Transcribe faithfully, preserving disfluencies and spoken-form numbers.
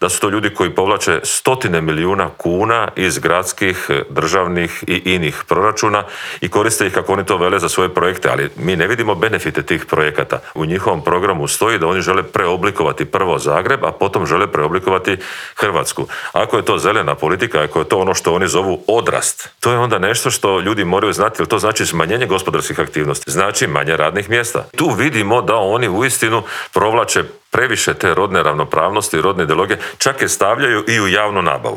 da su to ljudi koji povlače stotine milijuna kuna iz gradskih, državnih i inih proračuna i koriste ih kako oni to vele za svoje projekte, ali mi ne vidimo benefite tih projekata. U njihovom programu stoji da oni žele preoblikovati prvo Zagreb, a potom žele preoblikovati Hrvatsku. Ako je to zelena politika, ako je to ono što oni zovu odrast, to je onda nešto što ljudi moraju znati, jer to znači smanjenje gospodarskih aktivnosti, znači manje radnih mjesta. Tu vidimo da oni uistinu provlače previše te rodne ravnopravnosti, rodne ideologije, čak je stavljaju i u javnu nabavu.